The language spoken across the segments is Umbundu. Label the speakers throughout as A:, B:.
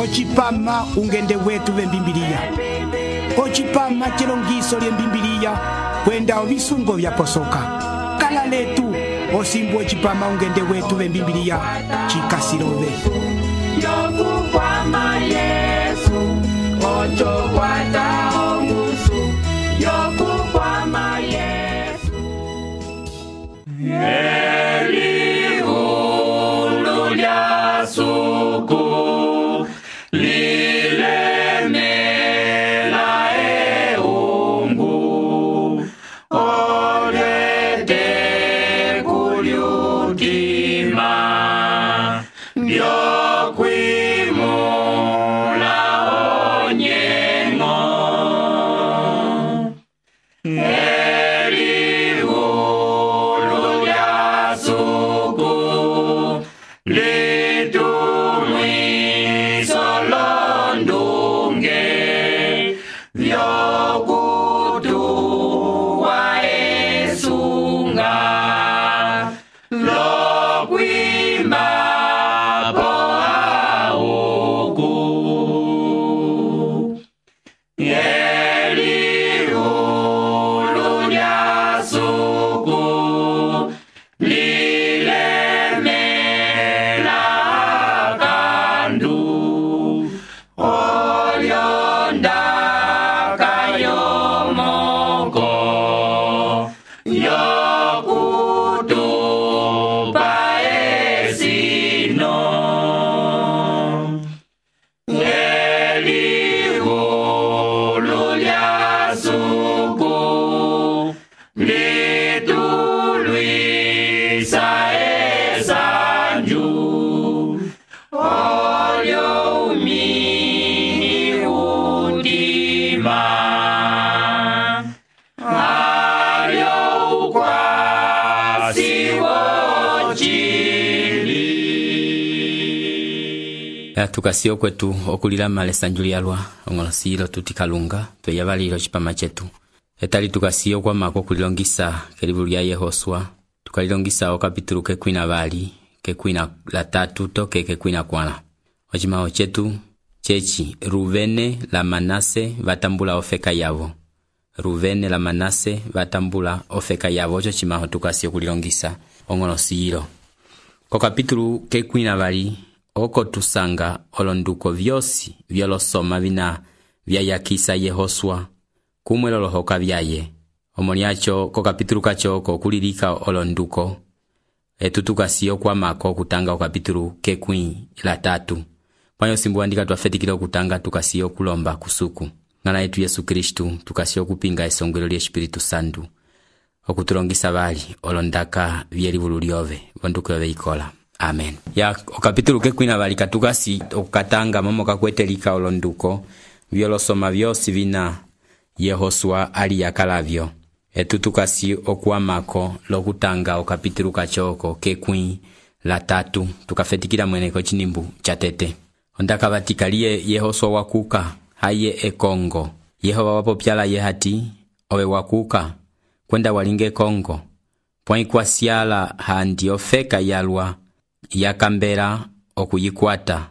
A: Ocipama ungende wetu vembimbiliya. Ocipama chilongiso lyembimbiliya kwenda ovisungo vyaposoka. Kala letu osimbu ocipama ungende wetu vembimbiliya chikasilove.
B: Yokukwama Yesu ochokwata omusu. Yokukwama Yesu elihulu lya suku lilemela eungu olete kulyutima lyokwimula onyengo elihulu lya suku litumwiso londunge vyokutuwa esunga lokwima po auku elihulu lya suku lilemela kandu olyondaka yomoko yokutupa esino elihulu lya suku litulwisa esanju olyo umini utima alyo ukwasi wochili.
C: Tukasio kwetu okulilama lesanju lyalwa ongolosilo tutikalunga tweyabalilo chipama chetu etali tukasio kwa mako kulilongisa kelivulu lya Yehoswa tukalilongisa okapitulu kekwina bali kekwina la tatu toke kekwina kwana ochimao chetu chechi Ruvene la Manase vatambula ofeka yavo. Ruvene la Manase vatambula ofeka yavo ocho chimao tukasio kulilongisa ongolosilo ko kapitulu kekwina bali oko tusanga olonduko vyosi vyolosoma vina vyayakisa Yehoswa kumwelolohoka vyaye omoniacho ko kapitulu kacho kokulilika olonduko etutukasiyo kwa mako kutanga okapitulu kekwi la tatu panyo simbu andika twafetikile okutanga tukasiyo kulomba kusuku ngana yetu Yesu Kristu tukasiyo kupinga esongwelo lya Espiritu Santu okutulongisa bali olondaka vyelivulu lyove vonduko yove ikola. Amen. Ya okapitulu kekwina bali katukasi okatanga momo kakwetelika olonduko vyolosoma vyosi vina Yehoswa ali yakalavyo etutukasi okuamako lokutanga okapitulu kachoko kekwi la tatu tukafetikila mweneko chinimbu chatete ondaka batikalie Yehoswa wakuka haye ekongo Yehova wapopyala yehati owe wakuka kwenda walinge Kongo pwai kwasiala handi ofeka yalwa yakambera okuyikwata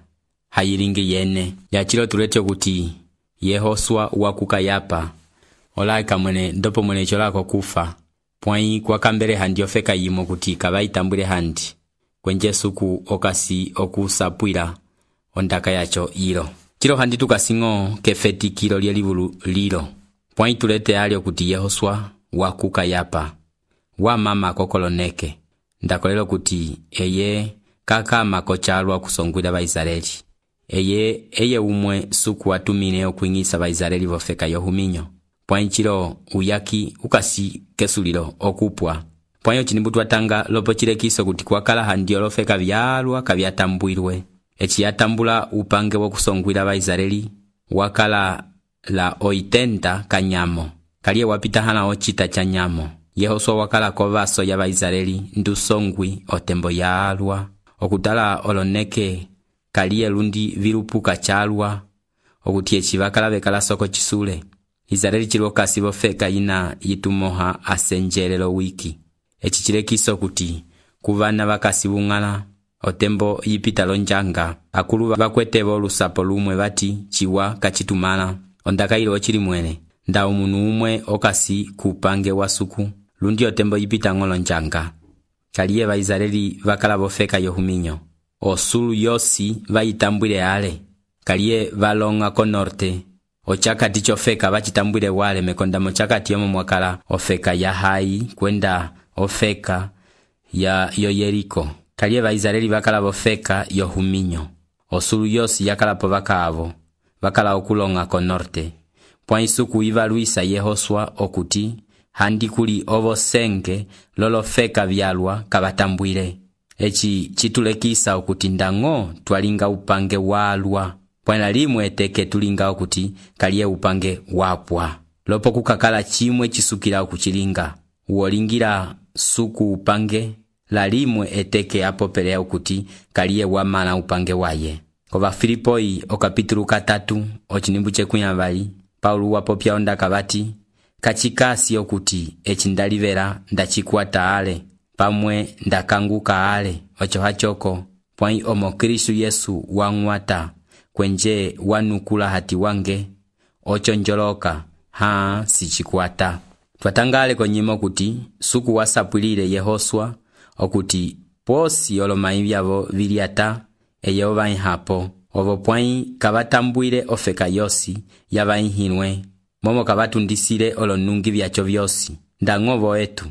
C: hayilingi yene yachilo tulete kuti Yehoswa wakuka yapa olaika mwene ndopo mwene cholako kufa pwai kwa kambere handi ofeka yimo kuti kabaitambule handi kwenje suku okasi okusapwila ondaka yacho ilo chilo handi tukasingo kefetikilo lyelivulu lilo pwai tulete alio kuti Yehoswa wakuka yapa wa mama kokoloneke ndakolelo kuti eye kaka makochalwa kusongwila Baisraeli eye umwe suku watumine okuingisa Baisraeli vofeka yohuminyo pwanchilo uyaki ukasi kesulilo okupwa pwanyo chinimbu twatanga lopo chilekiso kuti kwakala handi olofeka vyalwa kavyatambwilwe echiyatambula upange wokusongwila Baisraeli wakala la 80 kanyamo kaliye wapita hana ochita cha nyamo Yehoswa wakala kovaso ya Baisraeli ndusongwi otembo yalwa okutala oloneke kaliye lundi vilupuka chalwa okutie chivakala bekala soko chisule Israeli chilokasi bofeka ina yitumoha asenjelelo wiki echichilekiso kuti kuvana bakasi bungala otembo yipita lonjanga akulu vakwetevo olusapo lumwe vati ciwa kacitumala ondakailo ocili mwene nda umunu umwe okasi kupange wa suku lundi otembo yipita ng'olo njanga kaliye Vaisraeli vakala vofeka yohuminyo osulu yosi vayitambwile ale kaliye valonga ko norte ochakati chofeka vacitambwile wale mekonda mochakati yomo mwakala ofeka ya Hai kwenda ofeka ya Yeriko kaliye Vaisraeli vakala vofeka yohuminyo osulu yosi yakalapo vakaavo vakala okulonga ko norte pwa isuku ivaluisa Yehoswa okuti handi kuli ovosenge lolofeka vyalwa kavatambwile eci citulekisa okuti ndang'o twalinga upange walwa pwana limwe eteke tulinga okuti kaliye upange wapwa lopo kukakala chimwe chisukila okuchilinga uolingira suku upange la limwe eteke apopelea okuti kaliye wamala upange waye kova Filipoi okapitulu 3 ochinimbu chekunyavali Paulo wapopya ondaka vati kachikasi okuti eci ndalivela ndachikwata ale pamwe ndakanguka ale ocho hachoko pwai omo Kristu Yesu wang'wata kwenje wanukula hati wange ocho njoloka sichikwata twatangale konyimo kuti suku wasapulile Yehoswa okuti posi olomai vyavo viliata eyo vainhapo ovo pwai kavatambwile ofeka yosi yavainhinwe momo kavatundisile olonungi vyacho vyosi ndang'ovo etu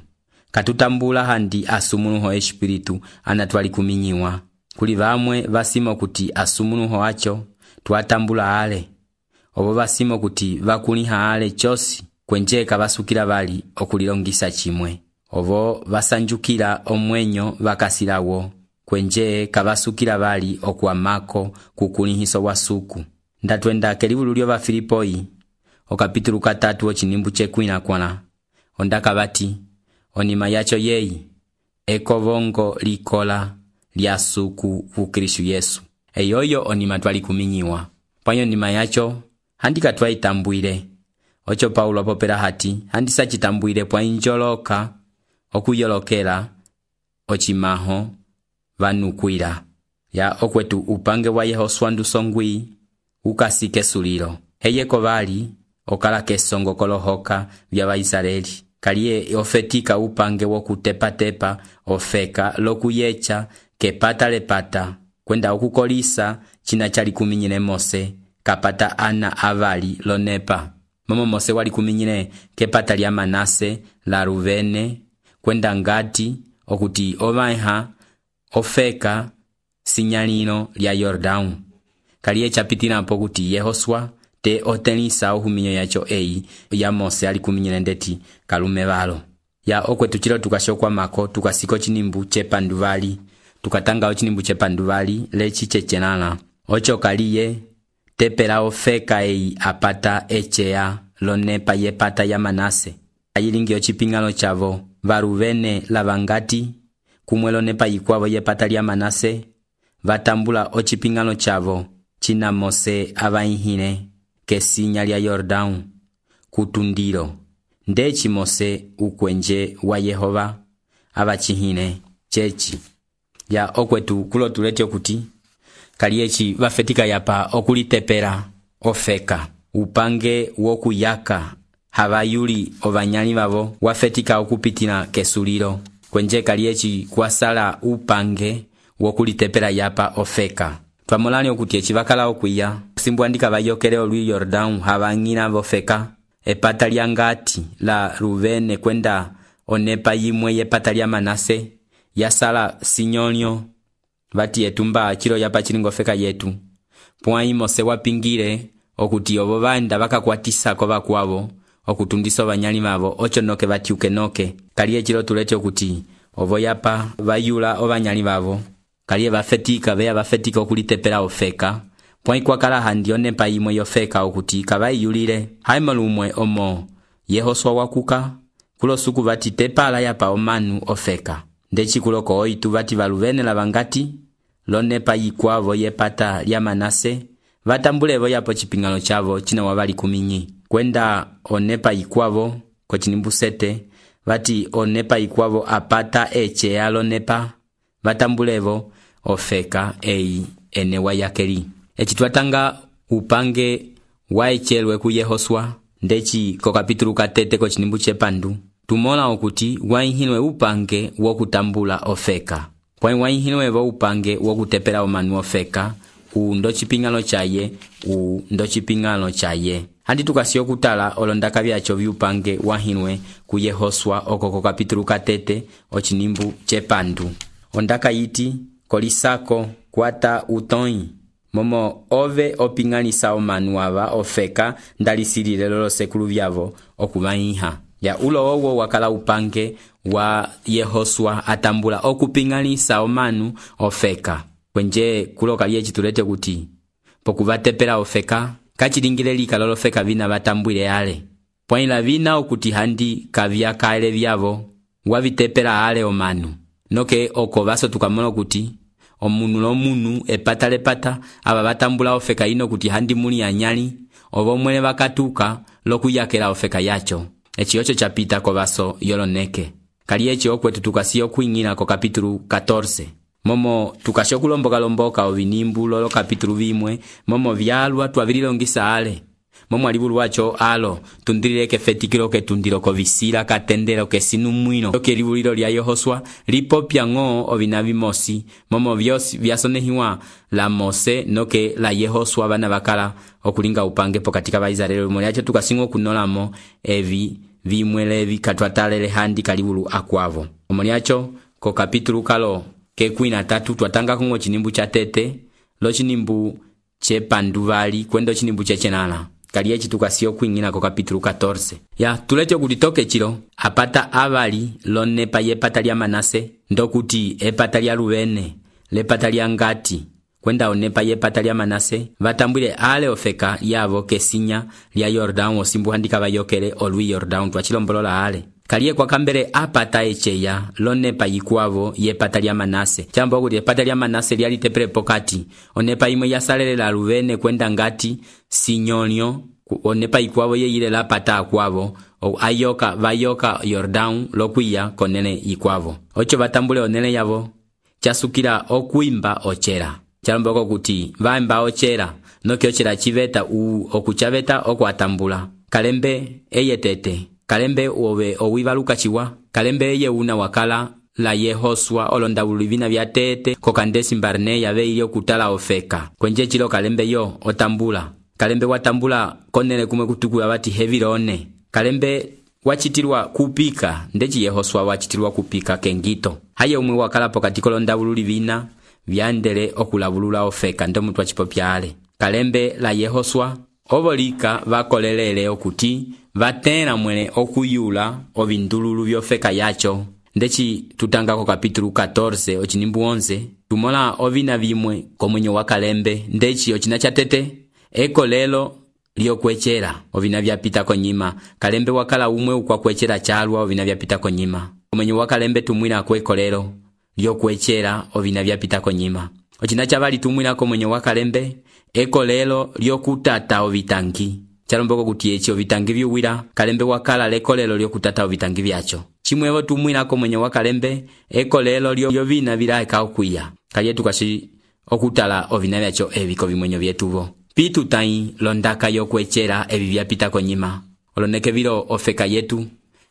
C: katutambula handi asumunuho espiritu anatwali kuminyiwa kuli vamwe vasimo kuti asumunuho acho twatambula ale ovo vasimo kuti vakuliha ale chosi kwenje kavasukila vali okulilongisa chimwe ovo vasanjukila omwenyo vakasilawo kwenje kavasukila vali okuamako kukulihiso wa suku ndatwenda kelivulu lyo va Filipoi okapitulu 3 ochinimbu chekwinakwana ondaka vati onima yacho yeyi ekovongo likola lya suku ku Kristu Yesu eyoyo onima twali kuminyiwa panyo nima yacho handika twaitambwile ocho Paulo apopela hati handisa chitambwile pwa injoloka okuyolokela ochimaho vanukwila ya okwetu upange wa Yehoswa ndusongwi ukasike sulilo heyeko vali okala kesongo kolohoka vya Vaisraeli kaliye ofetika upange wokutepa-tepa ofeka lokuyecha kepata lepata kwenda okukolisa china chali kuminyine Mose kapata ana avali lonepa momo Mose wali kuminyine kepata lya Manase la Ruvene kwenda ngati okuti ovaiha ofeka sinyalino lya Yordanu kaliye chapitina po kuti Yehoswa te otenisa ohuminyo yacho eyi ya Mose ali kuminyine ndeti kalume valo ya okwetu chilo tukashokwa mako tukasiko chinimbu chepanduvali tukatanga ochinimbu chepanduvali lechi chechenana ocho kaliye tepela ofeka eyi apata echea lonepa yepata ya Manase ayilingi ochipingalo chavo varuvene lavangati kumwe lonepa yikwavo yepata lya Manase vatambula ochipingalo chavo china Mose avainhine kesinya lya Yordanu kutundilo ndechi Mose ukwenje wa Yehova avachihine chechi ya okwetu kulo tulete okuti kaliyechi vafetika yapa okulitepela ofeka upange wokuyaka havayuli ovanyali vavo wafetika okupitina kesulilo kwenje kaliyechi kwasala upange wokulitepela yapa ofeka twamolani okuti eci vakala okwiya simbwandika vayokele olwi Yordanu havang'ina vofeka epata lya ngati la Ruvene kwenda onepa yimwe yepata lya Manase yasala sinyonyo vati etumba chilo yapa chilingo feka yetu pwai Mose wapingile okuti ovo vanda vakakwatisa kova kwavo okutundisa vanyali mavo ocho noke vatiuke noke kaliye chilo tulete okuti ovo yapa vayula ovanyali vavo kaliye vafetika veya vafetika okulitepela ofeka pwai kwakala handi onepa yimwe yofeka okuti kavaiyulile haimolumwe omo Yehoswa wakuka kulo suku vati tepala yapa omanu ofeka ndechi kuloko oitu vati valuvene lavangati lonepa yikwavo yepata lya Manase vatambulevo yapo chipingano chavo china wavali kuminyi kwenda onepa yikwavo kochinimbu 7 vati onepa yikwavo apata echea lonepa vatambulevo ofeka eyi ene wayakeli. Eci twatanga upange waechelwe ku Yehoswa ndeci ko kapitulu katete ko chinimbu chepandu tumola okuti waihilwe upange wokutambula ofeka. Kwa waihilwe upange wokutepela omanu ofeka ndo chipingalo chaye ndo chipingalo chaye. Handi tukasiyo kutala olondaka byacho byupange wahilwe ku Yehoswa okoko kapitulu katete ochinimbu chepandu. Ondaka yiti kolisako kwata utoi momo ove opinganisa omanu aba ofeka ndalisilile lolo sekulu byavo okubaiha. Ya ulo owo wakala upange wa Yehoswa atambula okupinganisa omanu ofeka. Kwenje kuloka liye chitulete kuti pokuvatepela ofeka kachilingile lika lolo feka vina batambwile ale. Poinla vina okuti handi kavya kale byavo wavitepela ale omanu. Noke oko baso tukamono kuti omunu lo munu epata aba batambula ofeka ino kuti handi muli anyali obo mwele bakatuka lokuyakela ofeka yacho. Echi ocho chapita ko baso yoloneke. Kali echi okwetu tukasiyo kuingina ko kapitulu 14. Momo tukasho kulomboka ovinimbu lolo kapitulu vimwe momo vyalwa twavililongisa ale. Momo alibulu wacho alo tundirileke fetikilo ke tundilo ko visila katendelo ke sinumwino. Toke libulilo lya Yehoswa lipopya ngo ovinavimosi momo vyasonehiwa la Mose noke la Yehoswa bana bakala okulinga upange pokatika ba Israeli. Moli acho tukasingo kunolamo evi vimwelevi katwatalele handi kalibulu akwavo. Moli acho ko kapitulu kalo ke 13 twatanga kongo chinimbu cha tete lo chinimbu che panduvali kwendo chinimbu che chenala. Kali echi tukasiyo kuingina ko kapitulu 14. Ya tulecho kutitoke chilo apata avali lone pa yepata lya Manase ndokuti epata lya Rubene lepata lya Ngati kwenda onepa yepata lya Manase vatambwile ale ofeka yavo kesinya lya Yordan osimbu handika bayokele olwi Yordan twachilombolola ale. Kaliye kwa kambere apata echeya lonepa yikwavo yepata lya Manase. Chambo kuti epata lya Manase lyali tepele pokati. Onepa imwe yasalele la Ruvene kwenda Ngati sinyonyo. Onepa yikwavo yeyile la pata akwavo. Vayoka Yordan lokuya konene yikwavo. Ocho vatambule onele yavo. Chasukila okuimba ochera. Chambo kuti vaimba ochera. Noki ochera chiveta okuchaveta okuatambula. Kalembe eyetete. Kalembe owivaluka chiwa. Kalembe eye una wakala la Yehoswa olondabulivina vya tete kokandesi mbarne yave ili okutala ofeka. Kwenje chilo kalembe yo otambula. Kalembe watambula konele kumwe kutuku ya wati hevilone. Kalembe wachitirwa kupika. Ndechi Yehoswa wachitirwa kupika kengito. Haye umwe wakala pokatiko londabulivina vyandele okulabulula ofeka. Ndo mtu wachipopya ale. Kalembe la Yehoswa ovolika vakolelele okuti vatena mwene okuyula ovindululu vyofeka yacho. Ndechi tutanga ko kapitulu 14 ochinimbu 11 tumola ovina vimwe komwenyo wa kalembe. Ndechi ochina chatete eko lelo lyokwechera ovina vyapita konyima. Kalembe wakala umwe ukwa kwechera chalwa ovina vyapita konyima. Komwenyo wa kalembe tumwina kweko lelo lyokwechera ovina vyapita konyima. Ochina chavali tumwina komwenyo wa kalembe eko lelo lyokutata ovitangi. Chalomboko kuti echi ovitangi vyuwira kalembe wakala leko lelo lyokutata ovitangi vyacho. Chimwevo tumwina komwenyo wa kalembe eko lelo lyovina vilaeka okuya. Kaliye tukashi okutala ovina vyacho eviko vimwenyo vyetuvo. Pitu tai londaka yokwechera evi vyapita konyima. Oloneke vilo ofeka yetu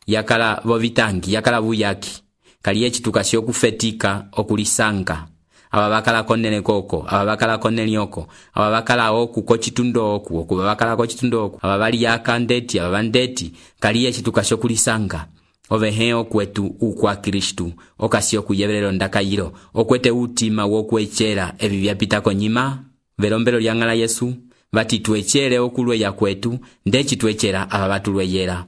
C: yakala vovitangi yakala vuyaki. Kaliye chitukasi okufetika okulisanga. Ababakala konene koko, ababakala konene oko, ababakala oku kochitundo oku, okubabakala kochitundo oku, ababali yaka ndeti, ababandeti, kaliye chitukasho kulisanga. Oveheo kwetu ukwa Kristu, okasio kuyebelelo ndakayiro, okwete utima wokwechera evi vyapita konyima, velombelo lyangala Yesu, vati tuechere okulwe ya kwetu, ndechi tuechera ababatulwe yera.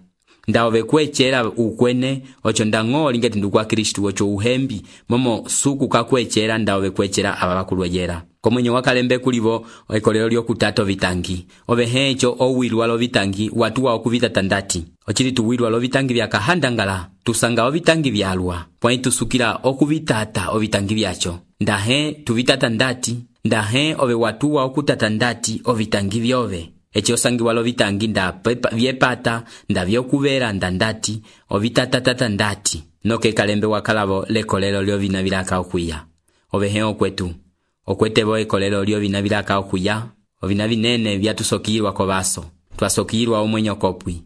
C: Ndaove kwechera ukwene ocho ndango lingeti ndukwa Kristu ocho uhembi momo suku kakwechera ndaove kwechera ababakulwejera. Komwenyo wakalembe kulivo ekolero lyokutato vitangi. Ove hecho owilwa lo vitangi watuwa okuvita tandati. Ochili tuwilwa lo vitangi vya kahandangala. Tusanga ovitangi vyalwa. Pwani tusukila okuvitata ovitangi vyacho. Ndahe tuvitata ndati. Ndahe ove watuwa okutata ndati ovitangi vyove. Echi osangiwa lo vitangi nda vyepata nda vyokuvera ndandati ovitatatata ndati. Noke kalembe wakalavo lekolelo lyo vina vilaka okuya. ovehe okwetu okwete ekolelo lyovina vilaka okuya ovina vinene vyatusokilwa kovaso twasokilwa omwenyo kopwi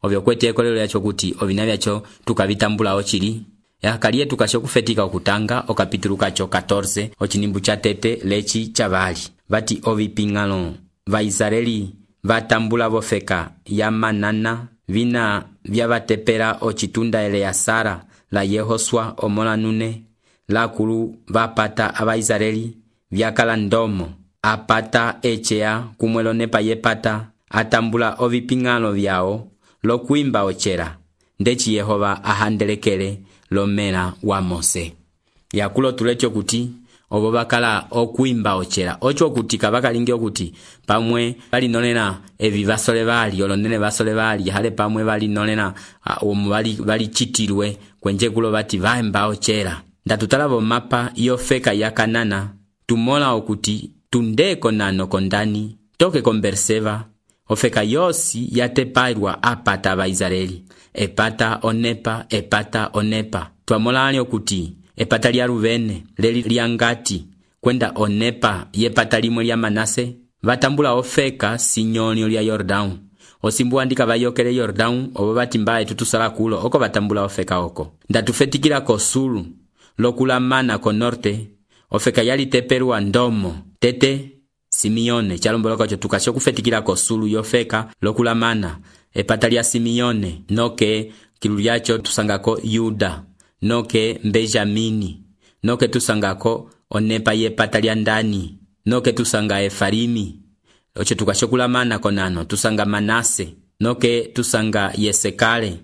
C: ovyo kwete ekolelo yacho kuti ovina vyacho tukavitambula ochili yakaliye tukashe okufetika okutanga okapitulu kacho 14 ochinimbu cha tete lechi chavali vati ovipingalo va Israeli vatambula vofeka ya manana vina vyavatepela ochitunda Eleasara la Yehosua omola nune lakulu vapata ava Israeli vyakala ndomo apata echea kumwelo nepa yepata atambula ovipingalo vyao lokuimba ochera ndechi Yehova ahandelekele lomela wa Mose yakulo tulecho kuti obo bakala okuimba ochera ocho kuti kabakalingi okuti pamwe bali nonena evi basole bali olonene basole bali hale pamwe bali nonena bali chitirwe kwenje kulo bati vaimba ochera ndatutala mapa yofeka ya Kanana tumola okuti tundeko nano kondani toke konverseva ofeka yosi yatepairwa apata ba Israeli epata onepa twamola ali okuti epata lya Ruvene leli lyangati kwenda onepa yepata limwe lya Manase vatambula ofeka sinyonyo lya Yordão osimbu andika bayokele Yordão obo batimbaye tutusala kulo oko vatambula ofeka oko ndatufetikila ko sulu lokulamana ko norte ofeka yali teperwa ndomo tete Simeone chalomboloko cho tukasho kufetikila ko sulu yofeka lokulamana epata lya Simeone noke kilu lyacho tusangako Yuda noke Benjamini noke tusangako onepa yepata lya ndani noke tusanga Efarimi ocho tukashokulamana konano tusanga Manase noke tusanga Yesekale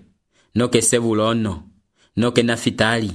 C: noke Sebulono noke Nafitali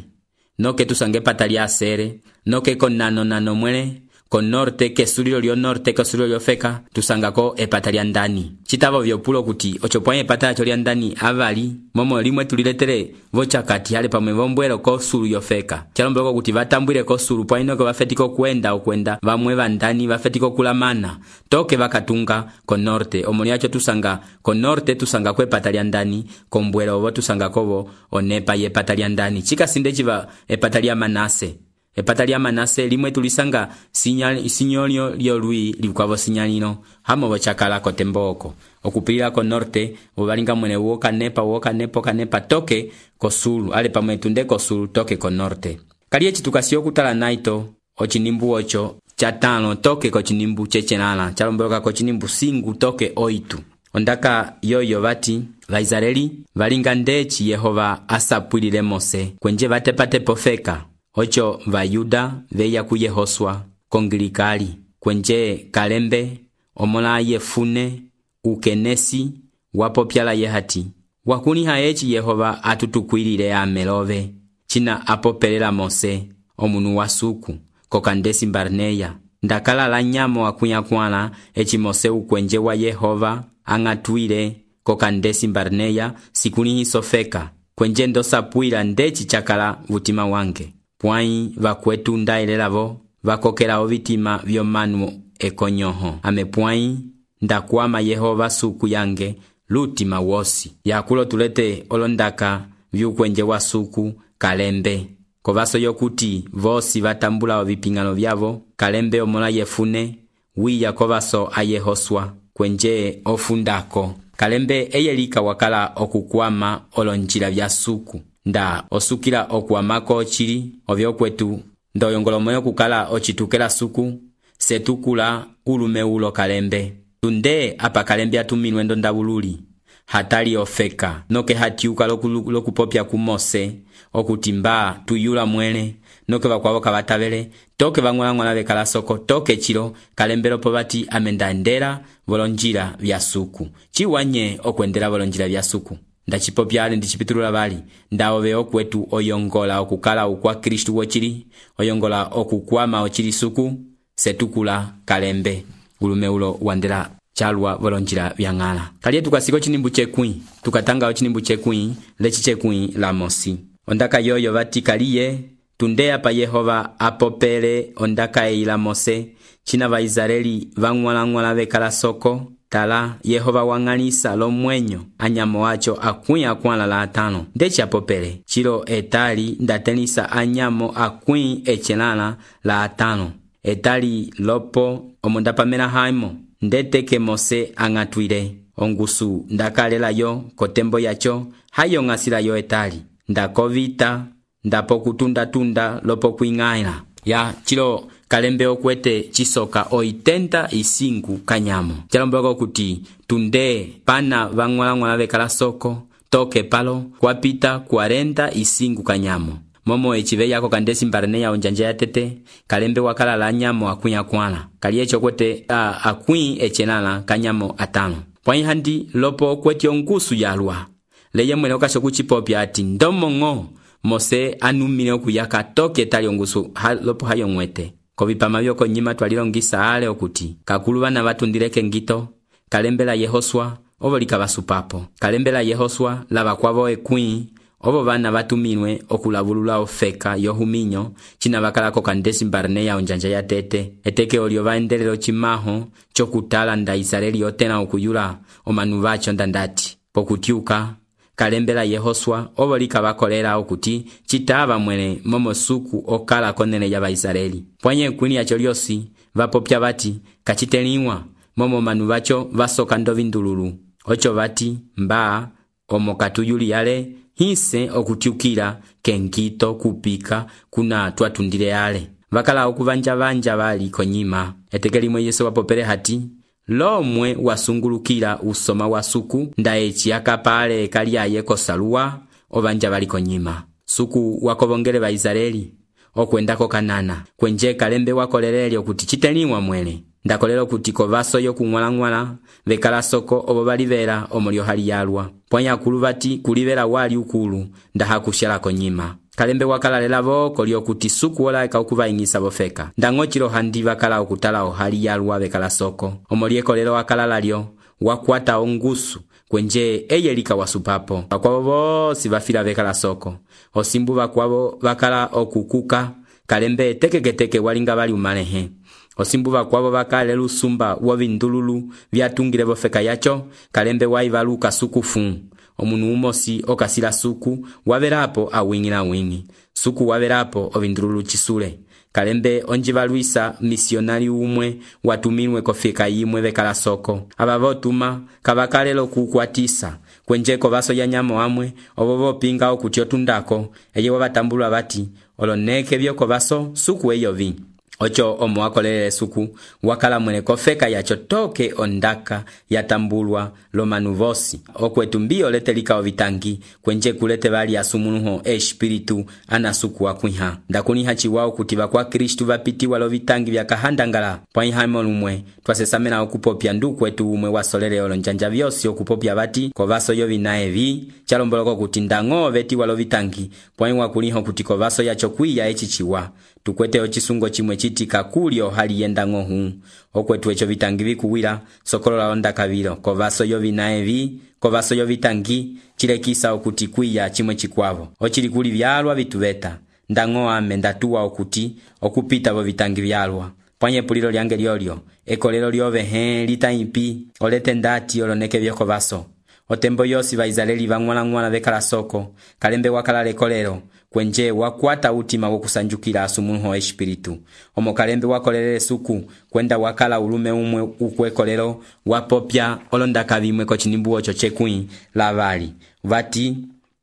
C: noke tusanga epata lya Asere noke konano nano mwele ko norte ke sulilo lyo norte ke sulilo lyo feka tusangako epata lya ndani chitavo vyopulo kuti ochopwa epata lya ndani avali momo limwe tuliletere vochakati hale pamwe vombwelo ko sulu yo feka chalomboloko kuti vatambwire ko sulu pwa inoko vafetiko kwenda vamwe vandani vafetiko kulamana toke vakatunga ko norte omoni yacho tusanga ko norte tusanga ko epata lya ndani kombwelo ovo tusanga kovo onepa yepata lya ndani chikasinde chiva epata lya Manase epata lya Manase limwe tulisanga sinyolyo lyolwi likwavo sinyalino hamo bochakala ko temboko okupilila ko norte obalinga mwene woka nepa toke ko sulu ale pamwe tunde ko sulu toke ko norte kaliye chitukasio kutala naito ochinimbu ocho chatano toke ko chinimbu chechenala chalomboloka ko chinimbu singu toke oitu ondaka yoyo vati vaisraeli valinga ndechi Yehova asapwilile Mose kwenje vatepate pofeka ocho vayuda veya ku Yehosua kongilikali kwenje Kalembe omola Yefune ukenesi wapopyala yehati wakuniha echi Yehova atutukwilile amelove china apopelela Mose omunu wasuku kokandesi Barneya ndakala la nyamo wakunyakwala echi Mose ukwenje wa Yehova angatwile kokandesi Barneya sikuni hisofeka kwenje ndosapwila ndechi chakala vutima wange pwai vakwetu ndailelavo vakokela ovitima vyomanu ekonyoho amepwai ndakwama Yehova suku yange lutima wosi yakulo tulete olondaka vyukwenje wa suku Kalembe kovaso yokuti vosi vatambula ovipingano vyavo Kalembe omola Yefune wiya kovaso a Yehosua kwenje ofundako Kalembe eyelika wakala okukwama olonjila vya suku nda osukila okuamako ochili ovyokwetu ndoyongolomoyo kukala ochitukela suku setukula ulume ulo Kalembe tunde apa Kalembe atumilwe ndondabululi hatali ofeka noke hatiuka lokupopya ku Mose okutimba tuyula mwele noke bakwabo kabatavele toke bangwala bekala soko toke chilo Kalembe lopo bati amendandera volonjira vya suku chiwanye okwendera volonjira vya suku ndachipopyale ndichipitulula bali ndaove okwetu oyongola okukala ukwa Kristu wochili oyongola okukwama ochili suku setukula Kalembe ulume ulo wandera chalwa volonjira vyangala kaliye tukasiko chinimbu chekwi tukatanga chinimbu chekwi lechi chekwi la Mosi ondaka yoyo vati kaliye tundea pa Yehova apopele ondaka eila Mose china va Israeli vangwala bekala soko tala Yehova wang'anisa lomwenyo anyamo wacho akwĩ akwãla la atãlo ndeci apopele cilo etali ndatelisa anyamo akwĩ ecelãla la atãlo etali lopo omo ndapamela haimo ndeteke Mose ang'atwile ongusu ndakalela yo kotembo yacho hayo ng'asila yo etali ndakovita ndapokutunda lopo kwing'aila ya cilo kalembe okwete chisoka 85 kanyamo chalomboka kuti tunde pana vang'walang'wala vekala soko toke palo kwapita 45 kanyamo momo echive yako kandesi mbarene ya onjanja ya tete kalembe wakala la nyamo akwĩ akwãla kali echo kwete akwĩ ecelãla kanyamo atãlo pwãi handi lopo kweti ongusu yalwa leye mwene okasho kuchipopya ati ndomong'o Mose anumile okuyaka toke etali ongusu lopo hayo ng'wete kovipama vyoko nyima twalilongisa ale okuti kakulu vana vatundileke ngito kalembe la Yehoswa ovo likavasupapo kalembe la Yehoswa lava kwavo ekwĩ ovo vana vatumilwe okulavulula ofeka yohuminyo cina vakalako kandesi mbarene ya onjanja ya tete eteke olio vaendelelo cimaho cokutala nda Israeli yotena okuyula omanu vacho ndandati pokutyuka kalembe la Yehoswa ovo likavakolela okuti citava mwene momosuku okala konene ya Vaisraeli pwanye ekwĩli yacho lyosi vapopya vati kaciteliwa momo manu vacho vasoka ndovindululu ocho vati mba omo katuyuli yale hise okutyukila kenkito kupika kuna twatundile ale vakala okuvanja vali konyima eteke limwe Yesu wapopele hati lomwe wasungulukila usoma wa suku nda eci akapale kaliaye kosaluwa ovanja vali konyima suku wakovongele Vaisraeli okwendako Kanana kwenje kalembe wakoleleli okuti citeliwa mwele ndakolelo kuti kovaso yokung'walang'wala vekala soko ovo valivela omolyo hali yalwa pwanya akulu vati kulivela wali ukulu ndahakushela konyima kalembe wakalalela voko lyokuti suku wolaeka okuvaying'isa vofeka ndang'ochilo handi vakala okutala ohali yalwa vekala soko omolyekolelo wakalala lyo wakwata ongusu kwenje eye likawasupapo vakwavo vosi vafila vekala soko osimbu vakwavo vakala okukuka kalembe tekeketeke walinga vali umalehe osimbu vakwavo vakale lusumba wovindululu vyatungile vofeka yacho kalembe waivaluka sukufu omunu umosi okasila suku wavelapo awing'ila wing'i suku wavelapo ovindululu chisule kalembe onjivaluisa misionari umwe watumilwe kofeka yimwe vekala soko ava votuma kavakalelo kukwatisa kwenjeko vaso ya nyamo amwe ovo vopinga okuti otundako eye wavatambulwa vati oloneke vyoko vaso suku eyovi ocho omo wakolelele suku wakala mwene kofeka yacho toke ondaka yatambulwa lomanu vosi okwetu mbio lete likao vitangi kwenje kulete vali asumunuho espiritu ana suku wakwiha ndakuniha chiwao kuti vakwa Kristu vapitiwa lo vitangi vyakahandangala pwaihaimo lumwe twasesamela okupopya ndukwetu umwe wasolele olonjanja vyosi okupopya vati kovaso yovina evi chalomboloko kuti ndang'o vetiwa lo vitangi pwaiwa kuliho kuti kovaso yacho kwiya echichiwa tukwete ochisungo chimwe chiti kakulyo hali yenda ng'ohu okwetu echo vitangi vikuwila sokolola ondakavilo kovaso yovina evi kovaso yovitangi chilekisa okuti kwiya chimwe chikwavo ochili kuli vyalwa vituveta ndang'o ame ndatuwa okuti okupita vo vitangi vyalwa pwanye pulilo lyange lyolyo ekolelo lyove litaipi olete ndati oloneke vyoko vaso otembo yosi Vaisraeli vang'walang'wala vekala soko kalembe wakala lekolelo kwenje wakwata utima wokusanjukila asumunuho espiritu omo kalembe wakolelele suku kwenda wakala ulume umwe ukwekolelo wapopya olondaka vimwe kochinimbu ocho chekwĩ lavali vati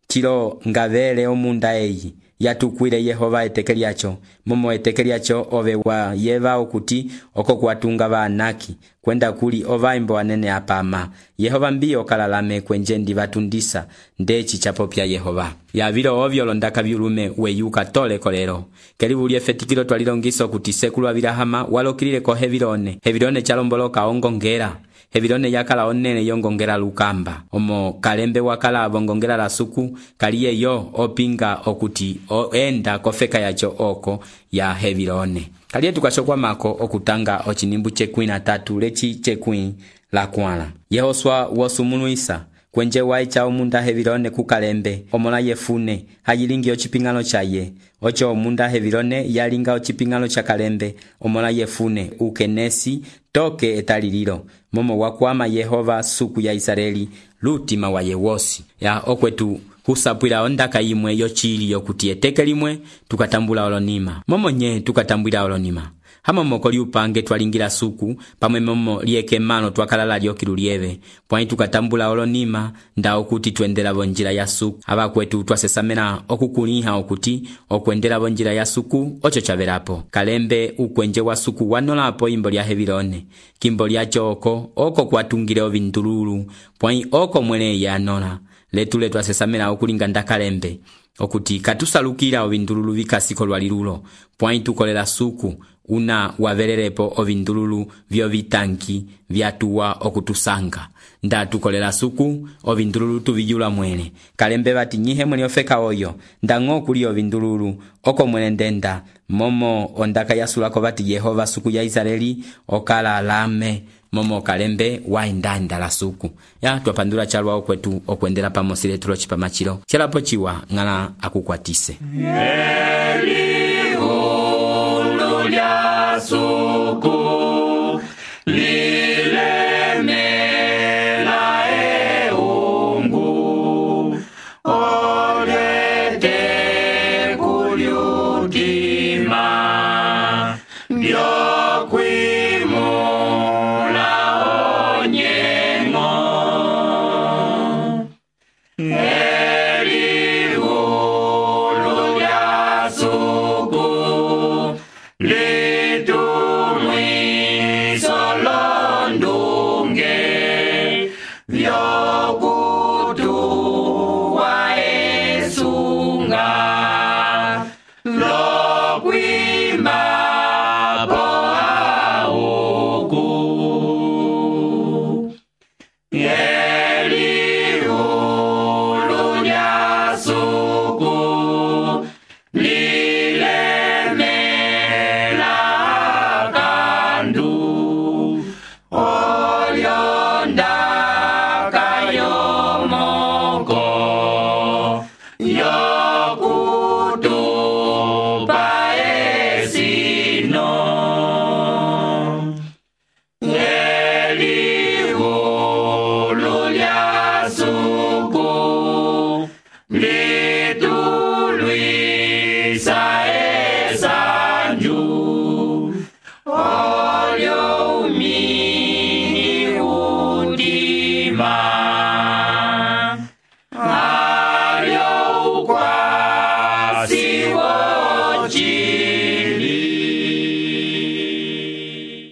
C: chilo ngavele omunda eyi yatukwile Yehova eteke lyacho momo eteke lyacho ove wa yeva okuti oko kuatunga vaanaki kwenda kuli ovaimbo anene apama Yehova mbio kalalame kwenje ndivatundisa ndechi chapopya Yehova yavilo ovyo londaka vyulume weyuka tole kolero kelibulie fetikilo twalilongiso kuti sekulu avilahama walokilile ko hevilone chalomboloka ongongera hevilone yakala onene yongongera lukamba omo kalembe wakala avongongera la suku kaliye yo opinga okuti enda kofeka yacho oko ya hevilone kaliye tukashokwa mako okutanga ochinimbu chekwĩ na tatu lechi chekwĩ la kwala Yehoswa wosumunuisa kwenje waicha omunda Hevilone kukalembe omola Yefune hayilingi ociping'alo chaye ocho omunda Hevilone yalinga ociping'alo cha kalembe omola Yefune ukenesi toke etalililo momo wakwama Yehova suku ya Israeli lutima wa yewosi ya okwetu husapwila ondaka yimwe yochili yokuti eteke limwe tukatambula olonima momo nye tukatambwila olonima hama moko liupange twalingila suku pamwe momo lieke mano twakalala lyokilu lieve pwani tukatambula olonima nda okuti tuendela bonjila ya suku aba kwetu twasesamena okukuliha okuti okwendela bonjila ya suku ocho chavelapo kalembe ukwenje wa suku wanolapo imbo lya Hevilone kimbo lya choko oko kwatungile ovindululu pwani oko mwele yanola letu twasesamena okulinga ndakalembe okuti katusalukila ovindululu vikasiko lwalilulo pwani tukolela suku una wavelelepo ovindululu vyo vitanki vyatuwa okutusanga nda tukolela suku ovindululu tuvijula mwele kalembe bati nyihe mwele ofeka oyo ndango kuli ovindululu oko mwele ndenda momo ondaka yasulako bati Yehova suku ya Israeli okala alame momo kalembe waendanda la suku ya twapandula chalwa okwetu okwendela pamosile tulo chipamachilo chelapo chiwa ngala akukwatise
B: lya suku lilemela eungu olete kulyutima byokwimula onyengo elihulu lya suku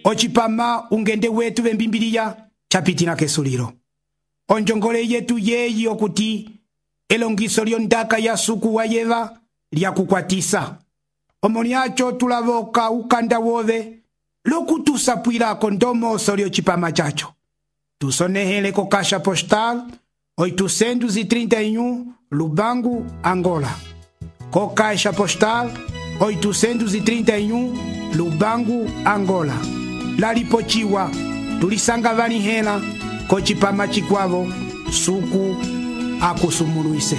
A: Ochipama ungende wetu bembimbiliya chapitina kesuliro onjongole yetu yeyi okuti elongiso lyondaka ya suku wa Yeva lyakukwatisa omoniacho tulavoka ukanda wove lokutusapwilako ndomoso lyochipama chacho tusonehele ko Caixa Postal 831 Lubangu, Angola. Co Caixa Postal 831 Lubangu, Angola. Lalipochiwa tulisanga vanihela ko chipama chikwavo suku akusumuluise.